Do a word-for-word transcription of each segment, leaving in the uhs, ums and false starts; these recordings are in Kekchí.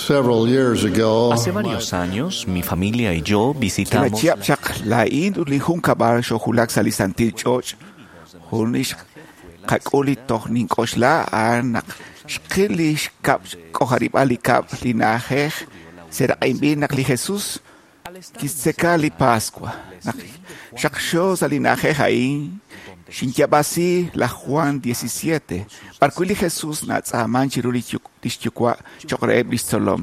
Several years ago, Hace varios años, mi familia y yo visitamos Kila chihab' chaq laa'in ut li junkab'al xojulak sa' li santil ch'och' jun li xqak'ul li toj nink'oxla a'an naq xqil li xkab' xk'ojarib'al li kab' li na'ajej seraq'inb'il naq li Jesús kixtzeka li Pascua. Naq xaqxo sa' li na'ajej a'in xinyab'asi laj Juan diecisiete b'arwi' li Jesús natz'aaman chiru li xyuwa' cho'q reheb' li xtzolom.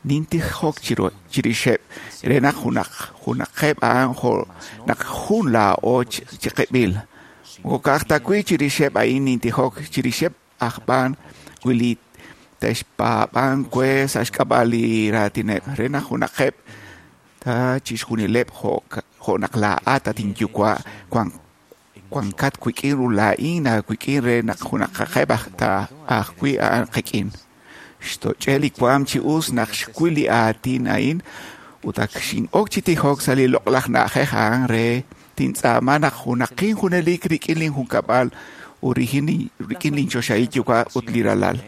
Nintijok chiru chirixeb' re naq junaq junaqeb' a'an jo' naq jun laa'o chiqib'il. Moko ka'aj ta wi' chirixeb' a'in nintijok chirixeb' aj b'an wi li te'xpaab'an we sa' xk'ab'a' li raatineb' re naq junaqeb' ta chixjunileb' jo' jo' naq laa'at at inyuwa' wan wankat wik'in ut laa'in aawik'in re naq junaqaqeb' aj ta ajwi' a'an qik'in. Xtoch'e li waam chi us naq xwil li aatin a'in ut ak xin'ok chi tijok sa' li loq'laj na'ajej a'an re tintz'aama naq junaqin junelik rik'in linjunkab'al ut rik'in linchoxahil yuwa' ut li ralal.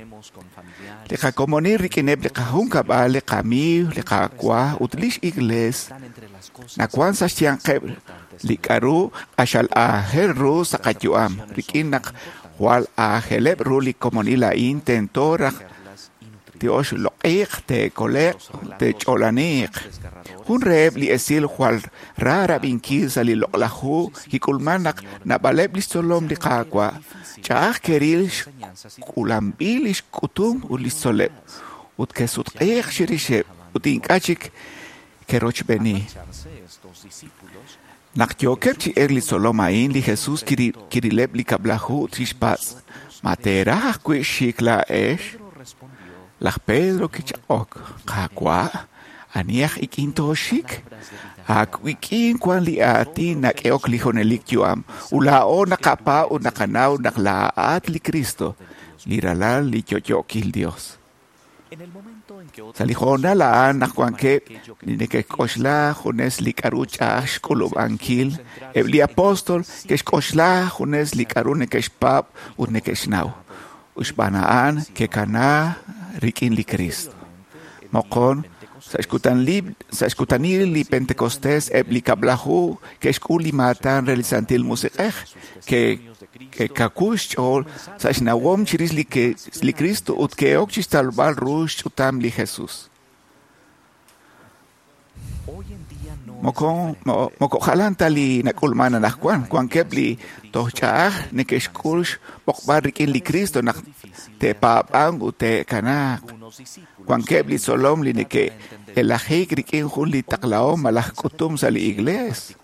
Li qakomonil rik'ineb' li qajunkab'al, li qamiiw, li Qaawa' ut lix iglees nawan sa' xyanqeb' li k'a'ru q'axal aajel ru sa' qayu'am. Rik'in naq jwal aajeleb' ru li komonil a'in tento raj te'oxloq'iiq, te'kole'q, te'ch'olaniiq. Jun reheb' li esil jwal ra rab'inkil sa' li loq'laj hu kik'ulman naq naab'aleb' li xtzolom li Qaawa' ch'a'aj ke'ril xk'ulanb'il li xk'utum ut li xtzoleb' ut ke'sutq'iiq chirixeb' ut ink'a' chik ke'rochb'eeni. Naq yookeb' chi elk li tzolom a'in, li Jesús kirileb' li kab'laju ut kixpatz': Ma teeraj ajwi' xik laa'ex? Laj Pedro kichaq'ok: Qaawa', ani aj ik'in tooxik? Ak wik'in wan li aatin nak'ehok li junelik yu'am, ut laa'o naqapaab' ut naqanaw naq laa'at li Cristo, li Ralal li yo'yookil Dios. Sa' li hoonal a'an naq wankeb' li neke'xk'oxla junes li k'a'ru ch'a'aj xk'ulub'ankil, eb' li apóstol ke'xk'oxla junes li k'a'ru neke'xpaab' ut neke'xnaw. Ut xb'aan a'an ke'kana rik'in li Cristo. Moqon, sa' xkutanil li Pentecostés eb' li kab'laju ke'xk'ul li maatan re li Santil Musiq'ej, ke'kawu xch'ool sa' xnawom chirix li Cristo ut ke'ok chixtalb'al ru xch'utam li Jesús. Moko moko jalan ta li nak'ulman anaqwan, wankeb' li toj ch'a'aj neke'xk'ul xb'oqb'al rik'in li Cristo naq te'paab'anq ut te'kanaaq. Wankeb' li tzolom li neke'elajik rik'in jun li taqlahom malaj k'utum sa' li iglees.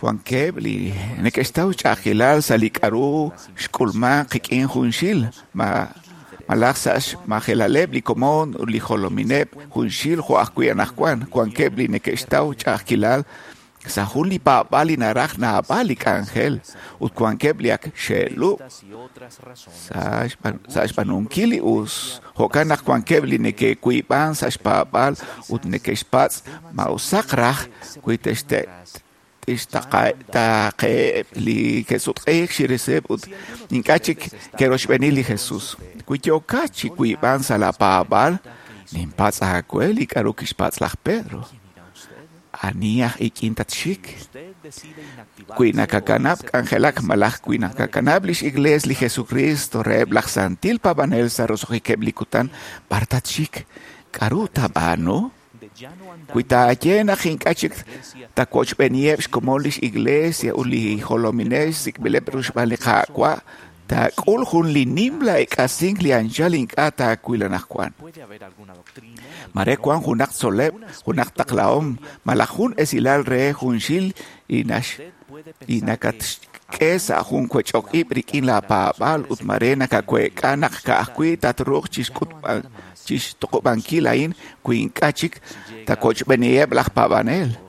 Wankeb' li neke'xtaw ch'a'ajkilal sa' li k'a'ru xk'ulman qik'in junxil malaj sa' xmajelaleb' li komon ut li jolomineb' junxil jo' ajwi' anaqwan. Wankeb' li neke'xtaw ch'a'ajkilal sa' jun li paab'aal li naraj naab'al li k'anjel ut wankeb' li ak xe'lub' sa' xb'aanunkil li us. Jo'kan naq wankeb' li neke'wiib'an sa' xpaab'aal ut neke'xpatz' ma usaq raj wi te'xtaaqeheb' li ke'sutq'iik chirixeb' ut ink'a' chik ke'rochb'eeni li Jesús. Wi yookat chi wiib'an sa' la paab'aal, ninpatz' aawe li k'a'ru kixpatz' laj Pedro. Ani aj ik'in tatxik? Wi nakakanab' k'anjelak malaj wi nakakanab' lix iglees li Jesucristo reheb' laj santil paab'anel sa' roso'jikeb' li kutan, b'ar tatxik? K'a'ru taab'aanu? Wi taaye naq ink'a' chik tawochb'eeniheb' xkomon lix iglesia ut li jolominel xsik'b'ileb' ru xb'aan li Qaawa', taak'ul jun li nimla ek'asink li anchal ink'a' taawil anaqwan. Mare wan junaq tzoleb', junaq taqlahom, malaj jun esilal re junxil li li nakatxk'e sa' jun wech'ok ib' rik'in la paab'aal ut mare nakaweek'a naq ka'ajwi' tatruuq chixtuqub'ankil a'in wi ink'a' chik tawochb'eeniheb' laj paab'anel.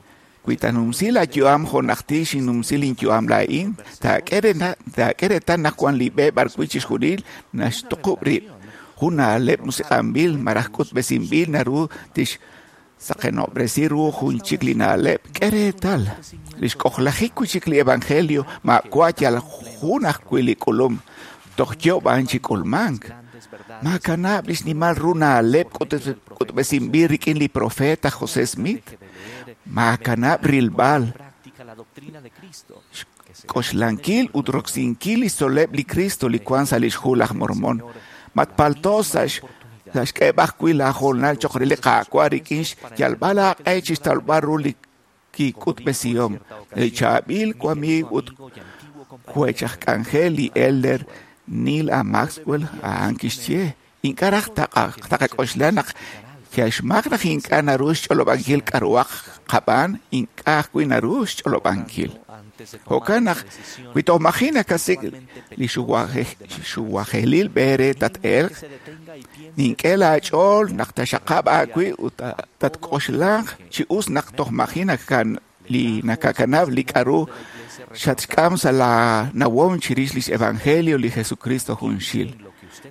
Wi tanumsi la yu'am jo' najtil xinnumsi linyu'am laa'in, taak'e reetal naq wan li b'e b'arwi' chixjunil naxtuqub' rib'. Jun na'leb' musiq'anb'il malaj k'utb'esinb'il naru tixsaqenob'resi ru jun chik li na'leb'. K'e reetal, li xk'ojlajik wi' chik li evangelio maawa' yal jun ajwi' li k'ulum, toj yo'b'an chi k'ulmank. Maakanab' li xnimal ru na'leb' k'utb'esinb'il rik'in li profeta José Smith. Maakanab' rilb'al xk'oxlankil ut roksinkil li xtzol'leb' li Cristo li wank sa' lix Hu laj Mormon. Matpalto sa' xk'eeb'al ajwi' laahoonal cho'q re li Qaawa' rik'in xyalb'al aaq'e chi xtawb'al ru li kik'utb'esihom. Li chaab'il wamiiw ut wech aj k'anjel li Elder Neal A. Maxwell a'an kixye ink'a' raj taqak'oxla naq xmaak naq ink'a' naru xch'olob'ankil k'a'ruhaq qab'aan, ink'a' ajwi' naru xch'olob'ankil. Jo'kan naq wi toj maji' nakasik' li xuwajelil b'e re tat-elq, nink'e laach'ool naq taxaqab' aawib' ut tatk'oxlanq chi us naq toj maji' li nakakanab' li k'a'ru xatxk'am sa' laanawom chirix lix evangelio li Jesucristo junxil.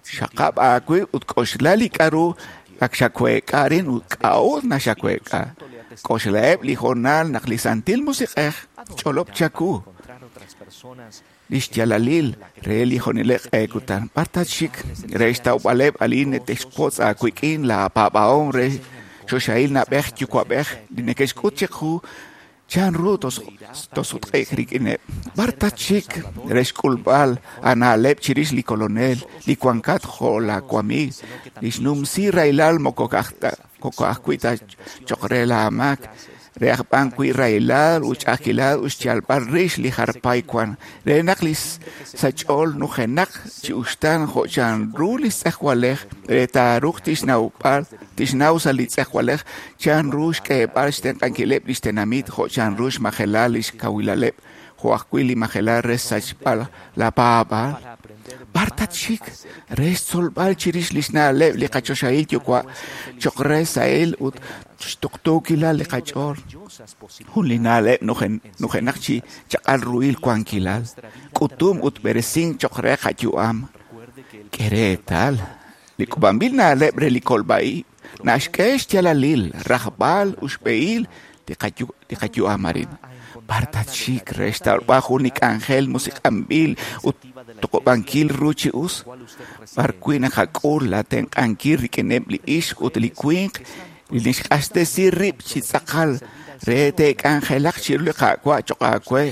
Xaqab' aawib' ut k'oxla li k'a'ru ak xaweek'a arin ut k'a'ut naxaweek'a. K'oxlaheb' li hoonal naq li Santil Musiq'ej ch'olob' chaku lix yalalil re li jonelek q'e kutan. B'ar tatxik re xtawb'aleb' alin nete'xwotz aawik'in laapaab'ahom re choxahil na'b'ej yuwa'b'ej li neke'xk'ut chiqu chanru tosutq'e'k rik'ineb'. B'ar tatxik re xk'ulb'al aana'leb' chirix li Kolonel li wankat jo' laawamiiw li xnumsi rahilal moko ka'ajwi' ta cho'q re laamaak, re aj b'an wi' rahilal ut ch'a'ajkilal ut xyalb'al rix li jarpay wan, re naq li sach'ool nujenaq chi uxtaan jo' chanru li tz'ejwalej re taaruuq tixnawb'al tixnaw sa' li tz'ejwalej chanru xk'eeb'al xtenq'ankileb' li xtenamit jo' chanru xmajelal li xkawilaleb' jo' ajwi' li majelal re xsachb'al laapaab'aal. B'ar tatxik re xtzolb'al chirix li xna'leb' li qachoxahil yuwa' cho'q re sahil ut xtuqtuukilal li qach'ool. Jun li na'leb' nujenaq chi chaq'al ruhil wankilal, k'utum ut b'eresink cho'q re qayu'am. K'e reetal li k'ub'anb'il na'leb' re li kolb'a-ib' naxk'e xyalalil, rajb'al ut xb'ehil li qayu'am arin. B'ar tatxik re xtawb'al jun li k'anjel musiq'anb'il ut tuqub'ankil ru chi us, b'ar wi' naqak'ul laatenq'ankil rik'ineb' li ixq ut li winq li nixq'axtesi rib' chi tz'aqal re te'k'anjelaq chiru li Qaawa' cho'q aawe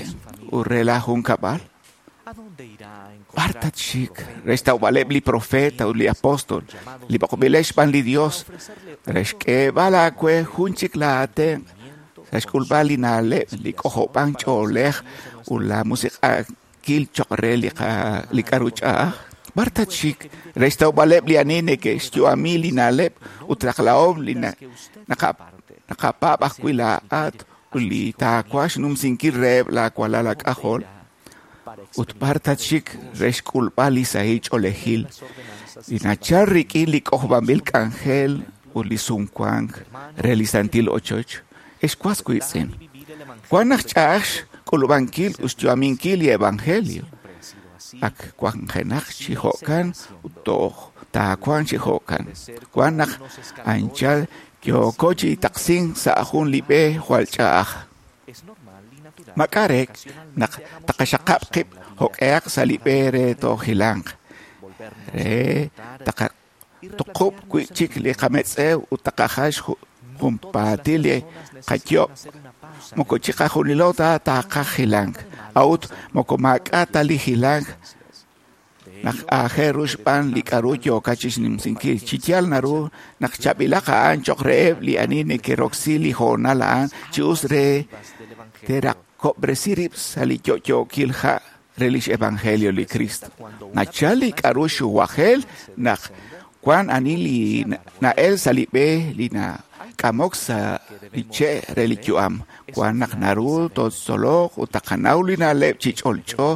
ut re laajunkab'al. B'ar tatxik re xtawb'aleb' li profeta ut li apóstol li b'oqb'ileb' xb'aan li Dios re xk'eeb'al aawe jun chik laatenq' sa' xk'ulb'al li na'leb' li k'ojob'ank ch'oolej ut la musiq'ankil cho'q re li k'a'ru ch'a'aj. B'ar tatxik re xtawb'aleb' li ani neke'xyu'ami li na'leb' ut taqlahom li naqapaab' ajwi' laa'at ut li taawaj xnumsinkil reheb' laawalal aak'ajol. Ut b'ar tatxik re xk'ulb'al li sahil ch'oolejil li nachal rik'in li k'ojob'anb'il k'anjel ut li sumwank re li santil ochoch. Ex was wiitz'in, wan naq ch'a'aj xk'ulub'ankil ut xyu'aminkil li evangelio. Ak wanjenaq chi jo'kan ut toj taawanq chi jo'kan. Wan naq anchal yooko chi taqsink sa' jun li b'e jwal ch'a'aj. Mak'arek naq taqaxaqab' qib' jo'q'ehaq sa' li b'e re toojilanq, re taqatuqub' wi'chik li qametz'ew ut taqajal junpaatil li qayob'. Moko chiqajunilo ta taqaj jilank, a'ut moko maak'a' ta li jilank naq aajel ru xb'aan li k'a'ru yookat chixnumsinkil. Chi yaal naru naq chaab'ilaq a'an cho'q reheb' li ani neke'roksi li hoonal a'an chi us re te'raqob'resi rib' sa' li yo'yookil ha' re lix evangelio li Cristo. Nachal li k'a'ru xuwajel naq wan ani li na'el sa' li b'e li nak'amok sa' li che' re li yu'am. Wan naq naru tootzoloq ut taqanaw li na'leb' chi ch'olch'o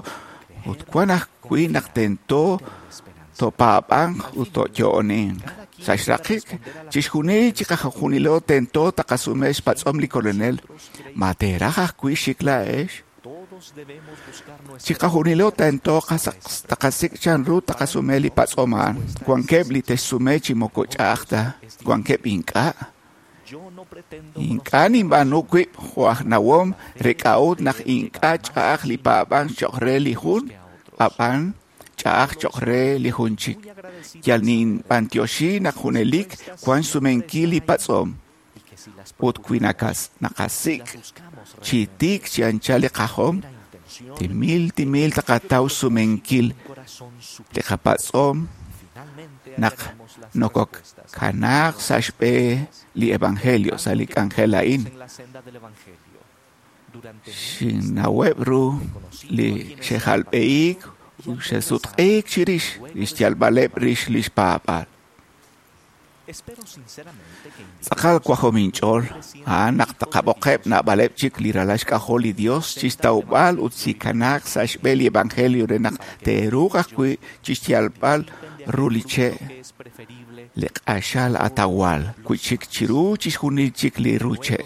ut wan ajwi' naq tento topaab'anq ut toyo'oninq. Sa' xraqik chixjunil chiqajunilo tento taqasume xpatz'om li Kolonel. Ma teeraj ajwi' xik laa'ex? Chiqajunilo tento taqasik' chanru taqasume li patz'om a'an. Wankeb' li te'xsume chi moko ch'a'aj ta, wankeb' ink'a'. Ink'a' ninb'aanu wib' jo' aj nawom re k'a'ut naq ink'a' ch'a'aj li paab'ank cho'q re li jun, ab'an ch'a'aj cho'q re li jun chik. Yal ninb'antioxi naq junelik wan xsumenkil li patz'om. Ut wi naqasik' chi tiik chi anchal li qajom, timil timil taqataw xsumenkil li qapatz'om naq nokokanaaq sa' xb'e li evangelio sa' li k'anjel a'in. Xinnaweb' ru li xe'jalb'ehiik ut xe'sutq'iik chirix li xyalb'aleb' rix li xpaab'aal. Tz'aqal wajom inch'ool a'an naq taqab'oqeb' naab'aleb' chik li ralal xk'ajol li Dios chixtawb'al ut chikanaaq sa' xb'e li evangelio re naq te'ruuq ajwi' chixyalb'al ru li che' li q'axal atawal wi' chik chiru chixjunil chik li ru che'.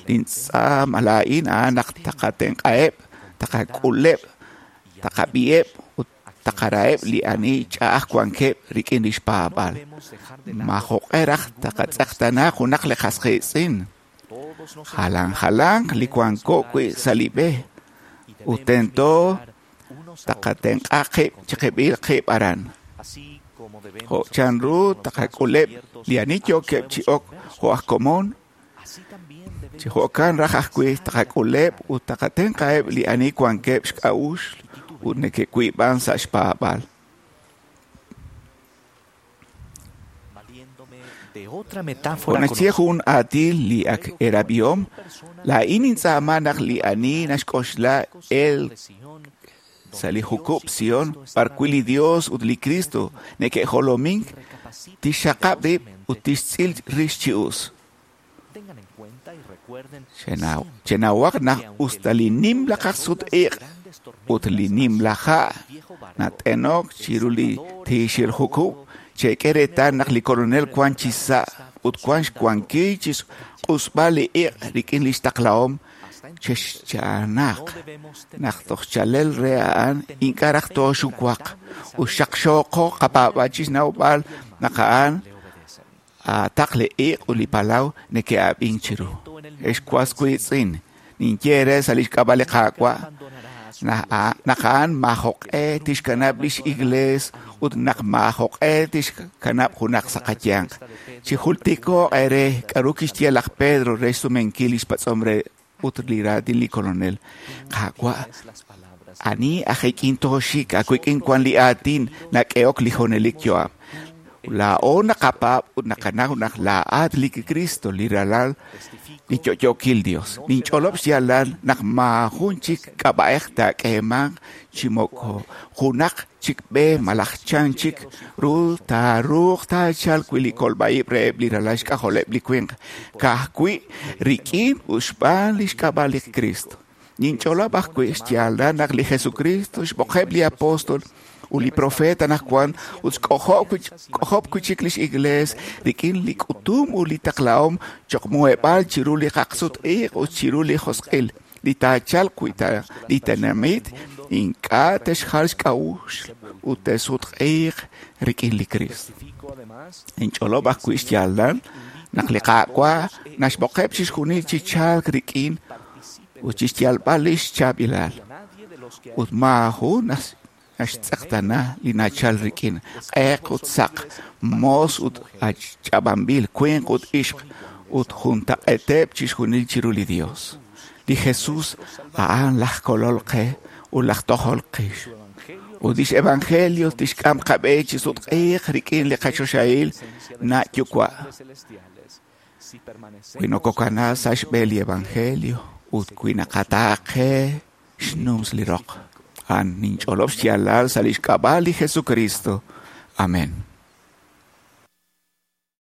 Lintz'aam laa'in a'an naq taqatenq'aheb', taqak'uleb', taqab'iheb' ut taqaraheb' li ani ch'a'aj wankeb' rik'in li xpaab'aal. Maajoq'e raj taqatz'eqtaana junaq li qas qiitz'in. Jalan jalanq li wanko wi' sa' li b'e ut tento taqatenq'a qib' chiqib'il qib' aran. Jo' chanru taqak'uleb' li ani yookeb' chi ok jo' aj komon, chi jo'kan raj ajwi' taqak'uleb' ut taqatenq'aheb' li ani wankeb' xk'a'uxl ut neke'wiib'an sa' xpaab'aal. Jo' naxye jun aatin li ak erab'ihom, laa'in nintz'aama naq li ani naxk'oxla el sa' li jukub' Sion b'arwi' li Dios ut li Cristo neke'jolomink, tixxaqab' rib' ut tixtz'il rix chi us. Chenawaq naq us ta li nimla kaqsut-iq' ut li nimla ha' nat'enok chiru li tiixil jukub', chek'e reetal naq li Kolonel wan chi sa' ut wan xwankil chi xq'usb'al li iq' rik'in li xtaqlahom. Chexcha'anaq naq toj chalel re a'an ink'a' raj tooxuwaq ut xaqxooqo qapaab'aal chi xnawb'al naq a'an aataq li iq' ut li palaw neke'ab'ink chiru. Ex was wiitz'in, ninye eere sa' li xk'ab'a' li Qaawa' naq a'an maajoq'e tixkanab' lix iglees ut naq maajoq'e tixkanab' junaq sa' qayanq. Chijultiko'q eere k'aru kixye laj Pedro re xsumenkil li xpatz'om re ut li raatin li Kolonel. Qaawa', ani aj ik'in tooxik, aawik'in wan li aatin nak'ehok li junelik yu'am. Laa'o naqapaab' ut naqanaw naq laa'at li Cristo, li Ralal li yo'yookil Dios. Ninch'olob' xyaalal naq maajun chik k'ab'a'ej taak'eemanq chi moko junaq chik b'e malaj chan chik ru taaruuq taachalq wi' li kolb'a'ib' reheb' li ralal xk'ajoleb' li winq, ka'ajwi' rik'in ut xb'aan li xk'ab'a' li Cristo. Ninch'olob' ajwi' xyaalal naq li Jesucristo xb'oqeb' li apóstol ut li profeta anaqwan ut xk'ojob' wi' chik lix iglees rik'in li k'utum ut li taqlahom cho'q muheb'aal chiru li kaqsut-iq' ut chiru li josq'il li taachalq wi' ta li tenamit ink'a' te'xjal xk'a'uxl ut te'sutq'iiq rik'in li Cristo. Ninch'olob' ajwi' xyaalal naq li Qaawa' naxb'oqeb' chixjunil chi chalk rik'in ut chixyalb'al lix chaab'ilal ut maajun naxtz'eqtaana li nachal rik'in q'eq ut saq, moos ut ach'ab'anb'il, winq ut ixq ut juntaq'eeteb' chixjunil chiru li Dios. Li Jesús a'an laj kolol qe ut laj tojol qix. Ut lix evangelio tixk'am qab'e chi sutq'iiq rik'in li qachoxahil na' yuwa'. Wi nokokana sa' xb'e li evangelio ut wi naqataaqe xnums li roq. A'an ninch'olob' xyaalal sa' lix k'ab'a' li Jesucristo. Amén.